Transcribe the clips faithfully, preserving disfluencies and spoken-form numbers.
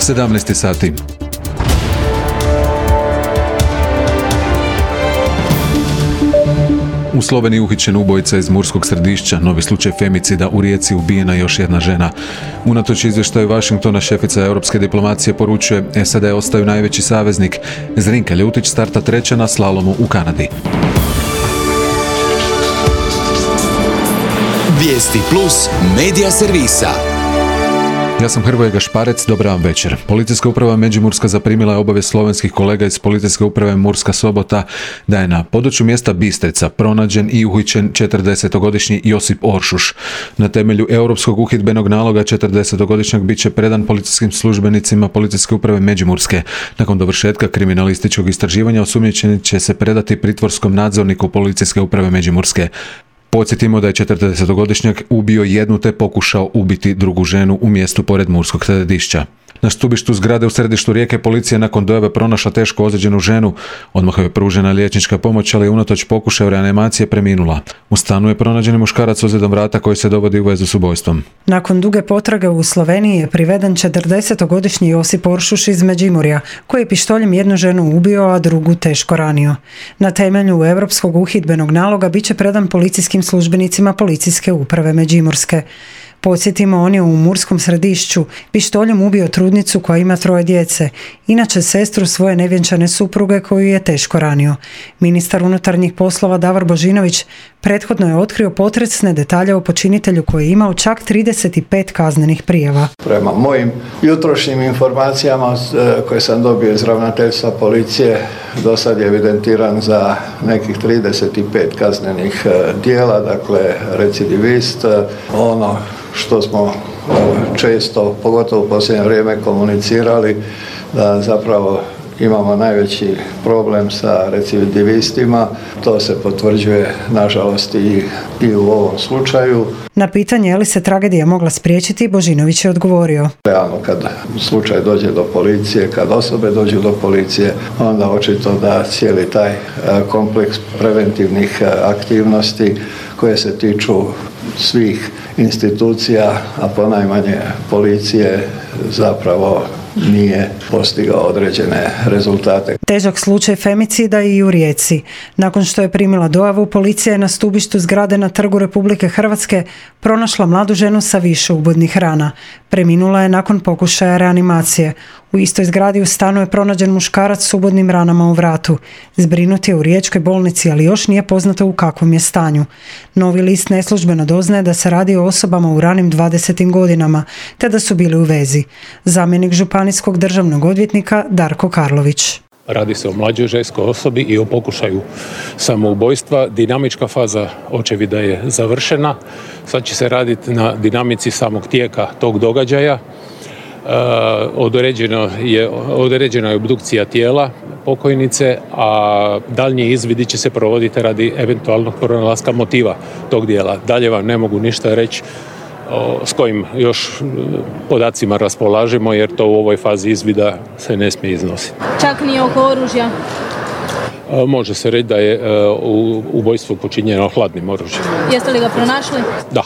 sedamnaest sati. U Sloveniji uhićen ubojica iz Murskog Središća, novi slučaj femicida u Rijeci, ubijena još jedna žena. Unatoč izvještaju Washingtona, šefica europske diplomacije poručuje S A D ostaju najveći saveznik. Zrinka Ljutić starta treća na slalomu u Kanadi. Vijesti plus medija servisa. Ja sam Hrvoje Gašparec, dobar vam večer. Policijska uprava Međimurska zaprimila je obavijest slovenskih kolega iz Policijske uprave Murska Sobota da je na području mjesta Bistrica pronađen i uhićen četrdesetogodišnji Josip Oršuš. Na temelju europskog uhidbenog naloga četrdesetogodišnjak bit će predan policijskim službenicima Policijske uprave Međimurske. Nakon dovršetka kriminalističkog istraživanja osumnjičeni će se predati pritvorskom nadzorniku Policijske uprave Međimurske. Podsjetimo da je četrdesetogodišnjak ubio jednu te pokušao ubiti drugu ženu u mjestu pored Murskog Središća. Na stubištu zgrade u središtu Rijeke policija nakon dojave pronašla teško ozlijeđenu ženu. Odmah je pružena liječnička pomoć, ali je unatoč pokušaju reanimacije preminula. U stanu je pronađen muškarac s ozljedom vrata koji se dovodi u vezu s ubojstvom. Nakon duge potrage u Sloveniji je priveden četrdesetogodišnji Josip Oršuš iz Međimurja, koji je pištoljem jednu ženu ubio, a drugu teško ranio. Na temelju europskog uhidbenog naloga bit će predan policijskim službenicima Policijske uprave Međimurske. Podsjetimo, on je u Murskom Središću pištoljem ubio trudnicu koja ima troje djece, inače sestru svoje nevjenčane supruge koju je teško ranio. Ministar unutarnjih poslova Davor Božinović prethodno je otkrio potresne detalje o počinitelju koji je imao čak trideset pet kaznenih prijava. Prema mojim jutrošnjim informacijama koje sam dobio iz ravnateljstva policije, do sad je evidentiran za nekih trideset pet kaznenih djela, dakle recidivist. Ono što smo često, pogotovo u posljednje vrijeme, komunicirali, da zapravo imamo najveći problem sa recidivistima. To se potvrđuje, nažalost, i, i u ovom slučaju. Na pitanje je li se tragedija mogla spriječiti, Božinović je odgovorio. Realno, kad slučaj dođe do policije, kad osobe dođu do policije, onda očito da cijeli taj kompleks preventivnih aktivnosti koje se tiču svih institucija, a ponajmanje policije, zapravo nije postigao određene rezultate. Težak slučaj femicida i u Rijeci. Nakon što je primila dojavu, policija je na stubištu zgrade na Trgu Republike Hrvatske pronašla mladu ženu sa više ubodnih rana. Preminula je nakon pokušaja reanimacije. U istoj zgradi u stanu je pronađen muškarac s ubodnim ranama u vratu. Zbrinut je u riječkoj bolnici, ali još nije poznato u kakvom je stanju. Novi list neslužbeno doznaje da se radi o osobama u ranim dvadesetim godinama, te da su bili u vezi. Zamjenik županijskog državnog odvjetnika Darko Karlović. Radi se o mlađoj ženskoj osobi i o pokušaju samoubojstva. Dinamička faza očevida je završena. Sad će se raditi na dinamici samog tijeka tog događaja. Uh, određeno je, određena je obdukcija tijela pokojnice, a daljnji izvidi će se provoditi radi eventualnog pronalaska motiva tog dijela. Dalje vam ne mogu ništa reći o, s kojim još podacima raspolažemo, jer to u ovoj fazi izvida se ne smije iznositi. Čak ni oko oružja? Uh, može se reći da je uh, u ubojstvo počinjeno hladnim oružjem. Jeste li ga pronašli? Da.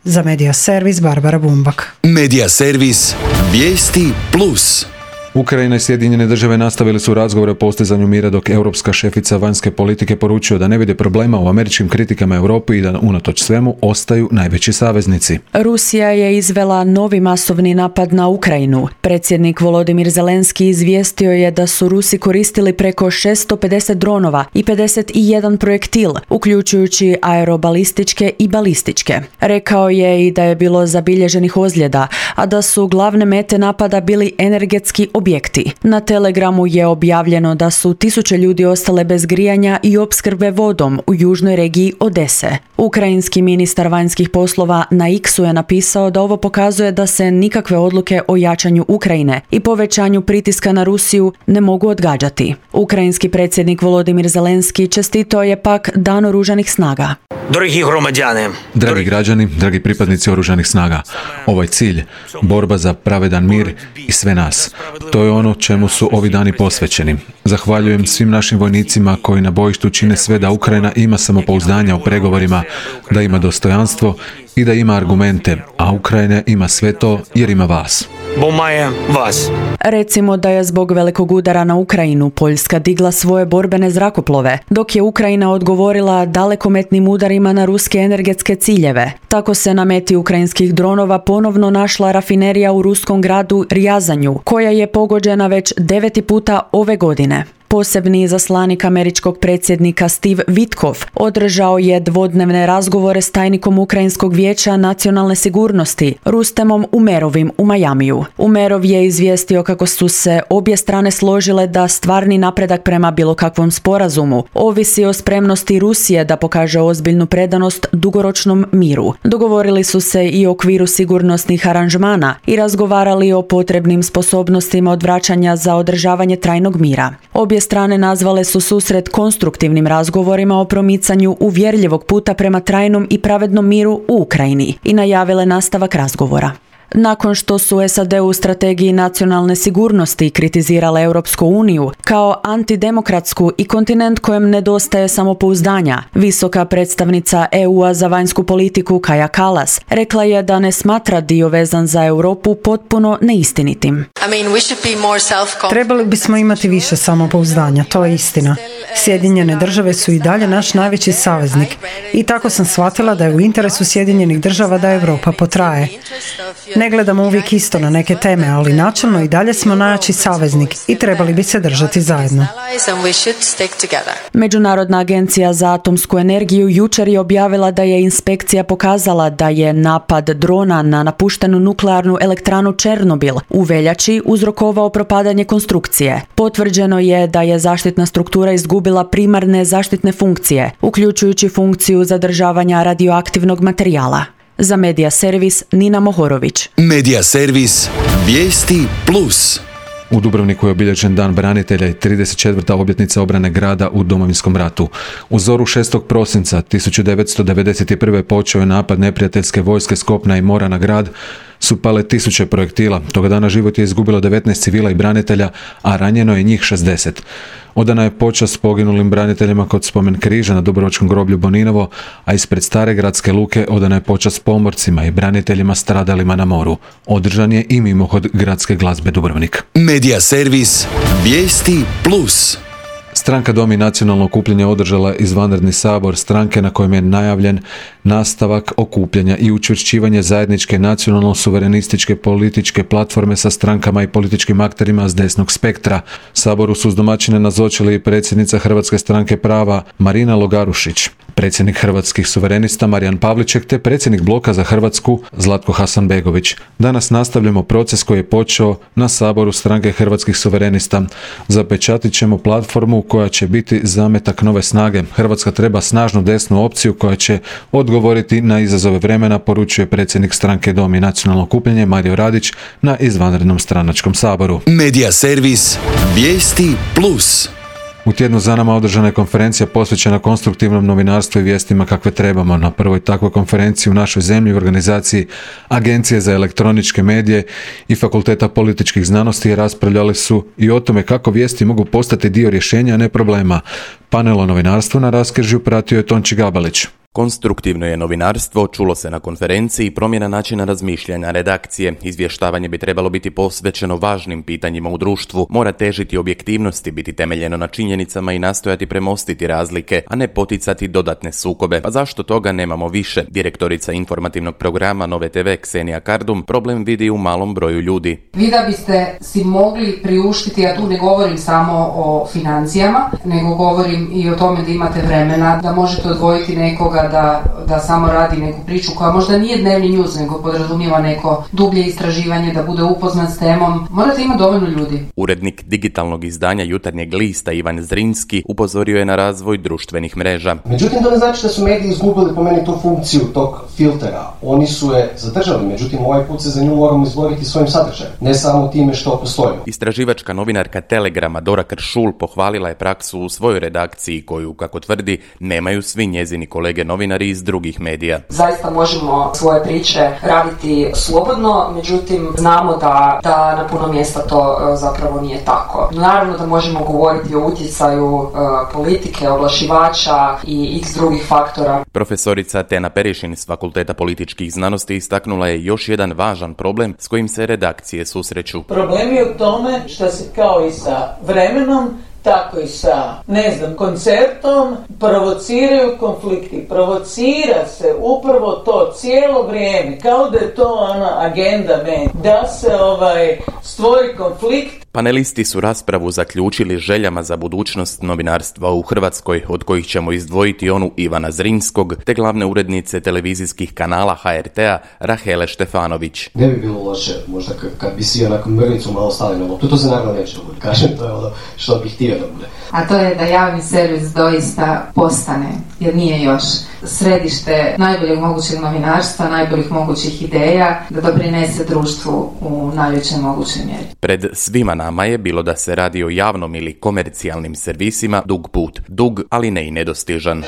Za Medija servis Barbara Bumbak. Medija servis Vijesti plus. Ukrajina i Sjedinjene države nastavili su razgovore o postizanju mira, dok europska šefica vanjske politike poručuje da ne vide problema u američkim kritikama Europi i da unatoč svemu ostaju najveći saveznici. Rusija je izvela novi masovni napad na Ukrajinu. Predsjednik Volodimir Zelenski izvijestio je da su Rusi koristili preko šesto pedeset dronova i pedeset jedan projektil, uključujući aerobalističke i balističke. Rekao je i da je bilo zabilježenih ozljeda, a da su glavne mete napada bili energetski objekti. Na Telegramu je objavljeno da su tisuće ljudi ostale bez grijanja i opskrbe vodom u južnoj regiji Odese. Ukrajinski ministar vanjskih poslova na X-u je napisao da ovo pokazuje da se nikakve odluke o jačanju Ukrajine i povećanju pritiska na Rusiju ne mogu odgađati. Ukrajinski predsjednik Volodimir Zelenski čestitao je pak Dan oružanih snaga. Dragi громадяни, dragi građani, dragi pripadnici oružanih snaga, ovaj cilj, borba za pravedan mir i sve nas, to je ono čemu su ovi dani posvećeni. Zahvaljujem svim našim vojnicima koji na bojištu čine sve da Ukrajina ima samopouzdanja u pregovorima, da ima dostojanstvo i da ima argumente, a Ukrajina ima sve to jer ima vas. bombaje vas. Recimo da je zbog velikog udara na Ukrajinu Poljska digla svoje borbene zrakoplove, dok je Ukrajina odgovorila dalekometnim udarima na ruske energetske ciljeve. Tako se na meti ukrajinskih dronova ponovno našla rafinerija u ruskom gradu Rjazanju, koja je pogođena već deveti puta ove godine. Posebni izaslanik američkog predsjednika Steve Witkoff održao je dvodnevne razgovore s tajnikom Ukrajinskog vijeća nacionalne sigurnosti Rustemom Umerovim u Majamiju. Umerov je izvijestio kako su se obje strane složile da stvarni napredak prema bilo kakvom sporazumu ovisi o spremnosti Rusije da pokaže ozbiljnu predanost dugoročnom miru. Dogovorili su se i o okviru sigurnosnih aranžmana i razgovarali o potrebnim sposobnostima odvraćanja za održavanje trajnog mira. Obje strane nazvale su susret konstruktivnim razgovorima o promicanju uvjerljivog puta prema trajnom i pravednom miru u Ukrajini i najavile nastavak razgovora. Nakon što su S A D u strategiji nacionalne sigurnosti kritizirale Europsku uniju kao antidemokratsku i kontinent kojem nedostaje samopouzdanja, visoka predstavnica E U-a za vanjsku politiku Kaja Kallas rekla je da ne smatra dio vezan za Europu potpuno neistinitim. Trebali bismo imati više samopouzdanja, to je istina. Sjedinjene države su i dalje naš najveći saveznik i tako sam shvatila da je u interesu Sjedinjenih država da Europa potraje. Ne gledamo uvijek isto na neke teme, ali načelno i dalje smo najjači saveznik i trebali bi se držati zajedno. Međunarodna agencija za atomsku energiju jučer je objavila da je inspekcija pokazala da je napad drona na napuštenu nuklearnu elektranu Černobil u veljači uzrokovao propadanje konstrukcije. Potvrđeno je da je zaštitna struktura izgubila primarne zaštitne funkcije, uključujući funkciju zadržavanja radioaktivnog materijala. Za Medija Servis Nina Mohorović. Medija Servis Vijesti Plus. U Dubrovniku je obilježen Dan branitelja i trideset četvrta obljetnica obrane grada u Domovinskom ratu. U zoru šestog prosinca tisuću devetsto devedeset prve počeo je napad neprijateljske vojske s kopna i mora na grad. Su pale tisuće projektila. Toga dana život je izgubilo devetnaest civila i branitelja, a ranjeno je njih šezdeset. Odana je počast poginulim braniteljima kod spomen križa na Dubrovačkom groblju Boninovo, a ispred Stare gradske luke odana je počast pomorcima i braniteljima stradalima na moru. Održan je i mimohod gradske glazbe Dubrovnik. Medija Servis Vijesti Plus. Stranka Dom i nacionalno okupljanje održala izvanredni sabor stranke na kojem je najavljen nastavak okupljanja i učvršćivanje zajedničke nacionalno-suverenističke političke platforme sa strankama i političkim akterima s desnog spektra. Saboru su uz domaćine nazočili i predsjednica Hrvatske stranke prava Marina Logarušić, predsjednik Hrvatskih suverenista Marijan Pavliček te predsjednik Bloka za Hrvatsku Zlatko Hasanbegović. Danas nastavljamo proces koji je počeo na saboru stranke Hrvatskih suverenista. Zapečatit ćemo platformu koja će biti zametak nove snage. Hrvatska treba snažnu desnu opciju koja će odgovoriti na izazove vremena, poručuje predsjednik stranke Dom i nacionalno okupljanje Mario Radić na izvanrednom stranačkom saboru. Medija Servis Vijesti Plus. U tjednu za nama održana je konferencija posvećena konstruktivnom novinarstvu i vijestima kakve trebamo. Na prvoj takvoj konferenciji u našoj zemlji u organizaciji Agencije za elektroničke medije i Fakulteta političkih znanosti raspravljali su i o tome kako vijesti mogu postati dio rješenja, a ne problema. Panel o novinarstvu na raskrižju pratio je Tonči Gabalić. Konstruktivno je novinarstvo, čulo se na konferenciji, promjena načina razmišljanja redakcije. Izvještavanje bi trebalo biti posvećeno važnim pitanjima u društvu, mora težiti objektivnosti, biti temeljeno na činjenicama i nastojati premostiti razlike, a ne poticati dodatne sukobe. Pa zašto toga nemamo više? Direktorica informativnog programa Nove te ve Ksenija Kardum problem vidi u malom broju ljudi. Vi da biste si mogli priuštiti, ja tu ne govorim samo o financijama, nego govorim i o tome da imate vremena, da možete odvojiti nekoga Da, da samo radi neku priču koja možda nije dnevni news, nego podrazumijeva neko dublje istraživanje, da bude upoznat s temom. Morate imati dovoljno ljudi. Urednik digitalnog izdanja Jutarnjeg lista Ivan Zrinski upozorio je na razvoj društvenih mreža. Međutim, to ne znači da su mediji izgubili po meni tu funkciju tog filtera. Oni su je zadržali, međutim ovaj put se za nju moramo izboriti svojim sadržajem, ne samo time što postoji. Istraživačka novinarka Telegrama Dora Kršul pohvalila je praksu u svojoj redakciji koju, kako tvrdi, nemaju svi njezini kolege novinari iz drugih medija. Zaista možemo svoje priče raditi slobodno, međutim znamo da, da na puno mjesta to zapravo nije tako. Naravno da možemo govoriti o utjecaju uh, politike, oglašivača i x drugih faktora. Profesorica Tena Perišin s Fakulteta političkih znanosti istaknula je još jedan važan problem s kojim se redakcije susreću. Problem je u tome što se kao i sa vremenom, tako i sa, ne znam, koncertom provociraju konflikti. Provocira se upravo to cijelo vrijeme, kao da je to ona agenda meni, da se ovaj stvori konflikt. Panelisti su raspravu zaključili željama za budućnost novinarstva u Hrvatskoj, od kojih ćemo izdvojiti onu Ivana Zrinskog, te glavne urednice televizijskih kanala ha er te a Rahele Štefanović. Ne bi bilo loše, možda k- kad bi si onako mrnicu malo stali na loptu, to se naravno neće da bude, kažem, to je ono što bih htio da bude. A to je da javni servis doista postane, jer nije još, središte najboljeg mogućeg novinarstva, najboljih mogućih ideja, da doprinese društvu u najvećoj mogućoj mjeri. Pred svima nama je, bilo da se radi o javnom ili komercijalnim servisima, dug put. Dug, ali ne i nedostižan.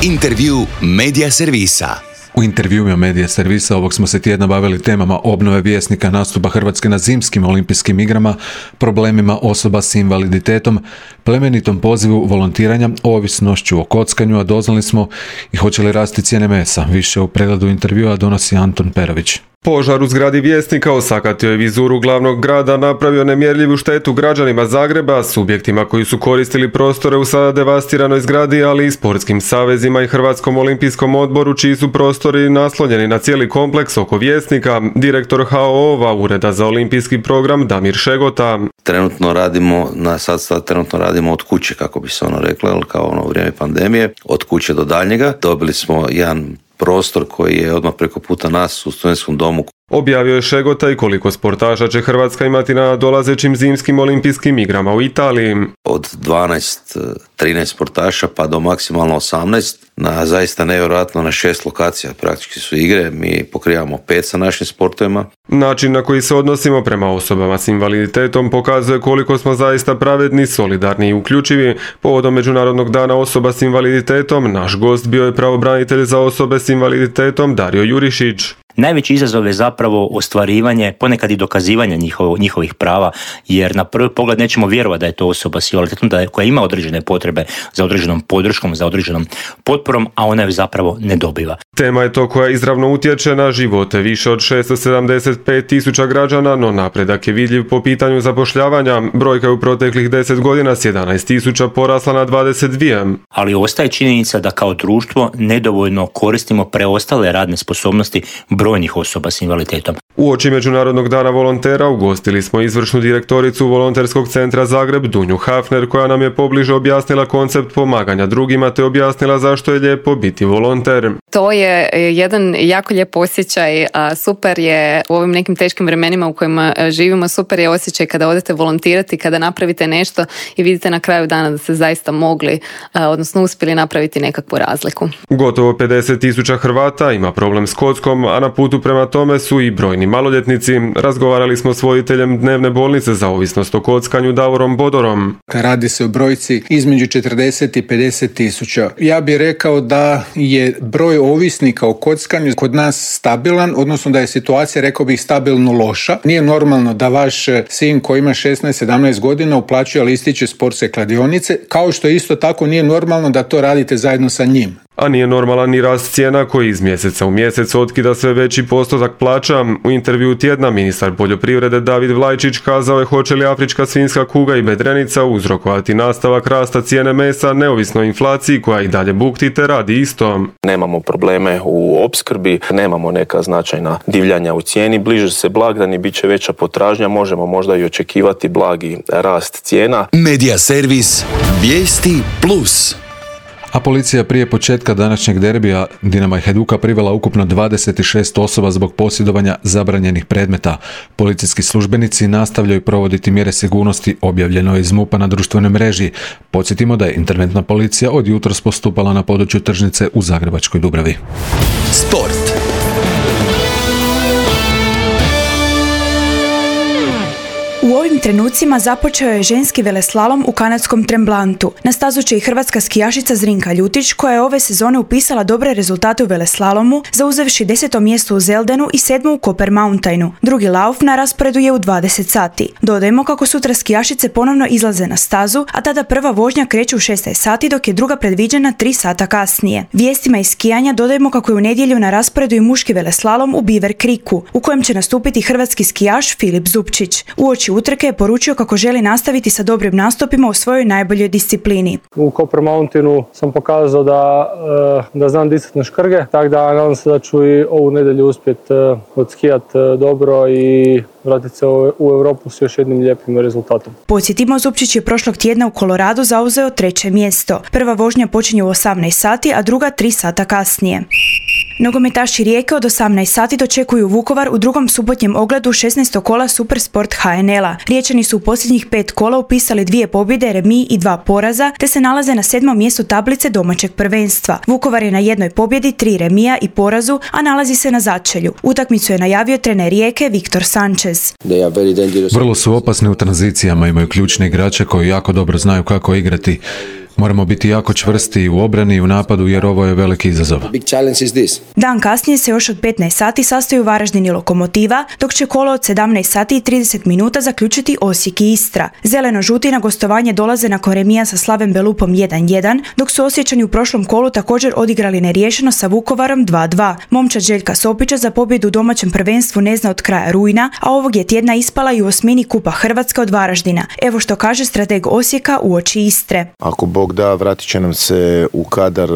Intervju Medija servisa. U intervjuima Medija servisa ovog smo se tjedna bavili temama obnove Vjesnika, nastupa Hrvatske na zimskim olimpijskim igrama, problemima osoba s invaliditetom, plemenitom pozivu volontiranja, ovisnošću o kockanju, a doznali smo i hoće li rasti cijene mesa. Više u pregledu intervjua donosi Anton Perović. Požar u zgradi Vjesnika osakatio je vizuru glavnog grada, napravio nemjerljivu štetu građanima Zagreba, subjektima koji su koristili prostore u sada devastiranoj zgradi, ali i sportskim savezima i Hrvatskom olimpijskom odboru, čiji su prostori naslonjeni na cijeli kompleks oko Vjesnika. Direktor ha o ova Ureda za olimpijski program Damir Šegota. Trenutno radimo, na sad, sad trenutno radimo od kuće, kako bi se ono reklo, kao ono u vrijeme pandemije, od kuće do daljnjega. Dobili smo jedan prostor koji je odmah preko puta nas u studentskom domu. Objavio je Šegota i koliko sportaša će Hrvatska imati na dolazećim zimskim olimpijskim igrama u Italiji. Od dvanaest trinaest sportaša pa do maksimalno osamnaest, na zaista nevjerojatno na šest lokacija praktički su igre, mi pokrivamo pet sa našim sportovima. Način na koji se odnosimo prema osobama s invaliditetom pokazuje koliko smo zaista pravedni, solidarni i uključivi. Povodom Međunarodnog dana osoba s invaliditetom, naš gost bio je pravobranitelj za osobe s invaliditetom Dario Jurišić. Najveći izazov je zapravo ostvarivanje, ponekad i dokazivanje njihovo, njihovih prava, jer na prvi pogled nećemo vjerovati da je to osoba s invaliditetom da je, koja ima određene potrebe za određenom podrškom, za određenom potporom, a ona ju zapravo ne dobiva. Tema je to koja izravno utječe na živote više od šesto sedamdeset pet tisuća građana, no napredak je vidljiv po pitanju zapošljavanja. Brojka je u proteklih deset godina s jedanaest tisuća porasla na dvadeset dvije. Ali ostaje činjenica da kao društvo nedovoljno koristimo preostale radne sposobnosti brojnih osoba s invaliditetom. Uoči Međunarodnog dana volontera ugostili smo izvršnu direktoricu Volonterskog centra Zagreb Dunju Hafner, koja nam je pobliže objasnila koncept pomaganja drugima te objasnila zašto je lijepo biti volonter. To je jedan jako lijep osjećaj, super je u ovim nekim teškim vremenima u kojima živimo, super je osjećaj kada odete volontirati, kada napravite nešto i vidite na kraju dana da ste zaista mogli, odnosno uspjeli napraviti nekakvu razliku. Gotovo pedeset tisuća Hrvata ima problem s kockom, a na putu prema tome su i brojni maloljetnici. Razgovarali smo s voditeljem dnevne bolnice za ovisnost o kockanju Davorom Bodorom. Radi se o brojci između četrdeset i pedeset tisuća. Ja bih rekao da je broj ovisnika o kockanju kod nas stabilan, odnosno da je situacija, rekao bih, stabilno loša. Nije normalno da vaš sin koji ima šesnaest sedamnaest godina uplaćuje listiće sportske kladionice, kao što isto tako nije normalno da to radite zajedno sa njim. A nije normalan ni rast cijena koji iz mjeseca u mjesec otkida sve veći postotak plaća. U intervju tjedna ministar poljoprivrede David Vlajčić kazao je hoće li afrička svinjska kuga i bedrenica uzrokovati nastavak rasta cijene mesa neovisno o inflaciji koja i dalje bukti te radi isto. Nemamo probleme u opskrbi, nemamo neka značajna divljanja u cijeni, bliže se blagdani, bit će veća potražnja, možemo možda i očekivati blagi rast cijena. Medija servis Vijesti plus. A policija prije početka današnjeg derbija Dinama i Hajduka privela ukupno dvadeset šest osoba zbog posjedovanja zabranjenih predmeta. Policijski službenici nastavljaju provoditi mjere sigurnosti, objavljeno je iz MUP-a na društvenoj mreži. Podsjetimo da je interventna policija od jutros postupala na području tržnice u Zagrebačkoj Dubravi. Sport. U ovim trenucima započeo je ženski veleslalom u kanadskom Tremblantu. Na stazu će i hrvatska skijašica Zrinka Ljutić, koja je ove sezone upisala dobre rezultate u veleslalomu, zauzevši deseto mjesto u Zeldenu i sedmo u Copper Mountainu. Drugi lauf na rasporedu je u dvadeset sati. Dodajmo kako sutra skijašice ponovno izlaze na stazu, a tada prva vožnja kreće u šesnaest sati, dok je druga predviđena tri sata kasnije. Vijestima iz skijanja dodajmo kako je u nedjelju na rasporedu i muški veleslalom u Beaver Creeku, u kojem će nastupiti hrvatski skijaš Filip Zupčić. Uoči utrke je poručio kako želi nastaviti sa dobrim nastupima u svojoj najboljoj disciplini. U Copper Mountainu sam pokazao da, da znam disati na škrge, tako da nadam se da ću i ovu nedjelju uspjeti odskijati dobro i vratiti se u Europu s još jednim lijepim rezultatom. Podsjetimo, Zupčić je prošlog tjedna u Koloradu zauzeo treće mjesto. Prva vožnja počinje u osamnaest sati, a druga tri sata kasnije. Nogometaši Rijeke od osamnaest sati dočekuju Vukovar u drugom subotnjem ogledu šesnaestog kola Supersport H N L-a. Riječani su u posljednjih pet kola upisali dvije pobjede, remi i dva poraza, te se nalaze na sedmom mjestu tablice domaćeg prvenstva. Vukovar je na jednoj pobjedi, tri remija i porazu, a nalazi se na začelju. Utakmicu je najavio trener Rijeke Viktor Sanchez. Vrlo su opasni u tranzicijama, imaju ključne igrače koji jako dobro znaju kako igrati. Moramo biti jako čvrsti u obrani i u napadu jer ovo je veliki izazov. Dan kasnije se još od petnaest sati sastaju Varaždin i Lokomotiva, dok će kolo od sedamnaest sati i trideset minuta zaključiti Osijek i Istra. Zeleno-žuti na gostovanje dolaze nakon remija sa Slaven Belupom jedan jedan, dok su Osječani u prošlom kolu također odigrali neriješeno sa Vukovarom dva dva. Momčad Željka Sopića za pobjedu u domaćem prvenstvu ne zna od kraja rujna, a ovog je tjedna ispala i u osmini Kupa Hrvatske od Varaždina. Evo što kaže strateg Osijeka uoči Istre. Ako Bog da, vratit će nam se u kadar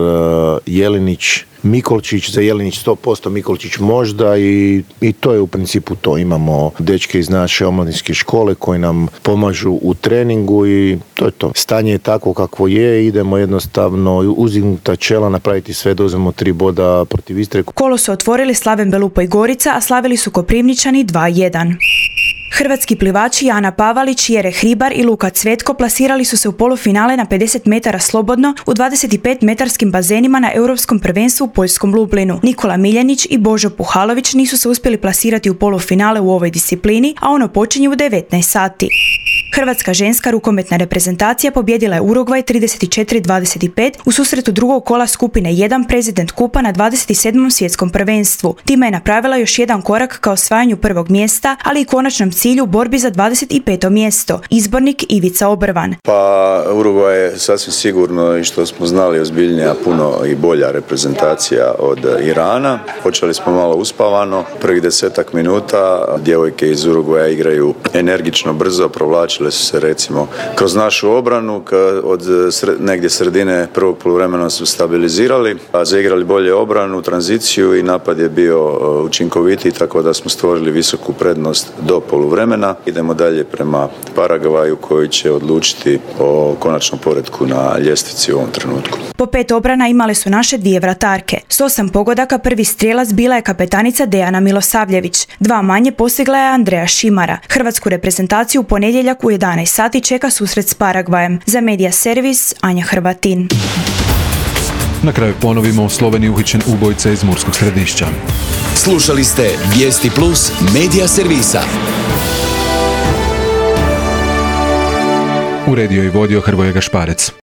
Jelinić, Mikolčić, za Jelinić sto posto, Mikolčić možda i, i to je u principu to. Imamo dečke iz naše omladinske škole koji nam pomažu u treningu i to je to. Stanje je takvo kakvo je, idemo jednostavno uzdignuta čela napraviti sve da uzmemo tri boda protiv Istre. Kolo su otvorili Slaven Belupo i Gorica, a slavili su Koprivničani dva jedan. Hrvatski plivači Ana Pavalić, Jere Hribar i Luka Cvetko plasirali su se u polufinale na pedeset metara slobodno u dvadeset pet metarskim bazenima na Europskom prvenstvu u poljskom Lublinu. Nikola Miljanić i Božo Puhalović nisu se uspjeli plasirati u polufinale u ovoj disciplini, a ono počinje u devetnaest sati. Hrvatska ženska rukometna reprezentacija pobjedila je Urugvaj trideset četiri dvadeset pet u susretu drugog kola skupine jedan President Kupa na dvadeset sedmom svjetskom prvenstvu. Time je napravila još jedan korak ka osvajanju prvog mjesta, ali i konačnom cilju u borbi za dvadeset peto mjesto. Izbornik Ivica Obrvan. Pa Urugvaj je sasvim sigurno, i što smo znali, ozbiljnija, puno i bolja reprezentacija od Irana. Počeli smo malo uspavano, prvih desetak minuta djevojke iz Urugvaja igraju energično, brzo, provlačile su se recimo kroz našu obranu, od sred, negdje sredine prvog poluvremena su stabilizirali, a zaigrali bolje obranu, tranziciju i napad je bio učinkovitiji, tako da smo stvorili visoku prednost do poluvremena. Idemo dalje prema Paragvaju koji će odlučiti o konačnom poretku na ljestvici u ovom trenutku. Po pet obrana imale su naše dvije vratarke. S osam pogodaka prvi strijelac bila je kapetanica Dejana Milosavljević. Dva manje postigla je Andreja Šimara. Hrvatsku reprezentaciju u ponedjeljak u jedanaest sati čeka susret s Paragvajem. Za Medija Servis, Anja Hrvatin. Na kraju ponovimo, u Sloveniji uhićen ubojica iz Murskog Središća. Slušali ste Vijesti Plus Medija Servisa. Uredio i vodio Hrvoje Gašparec.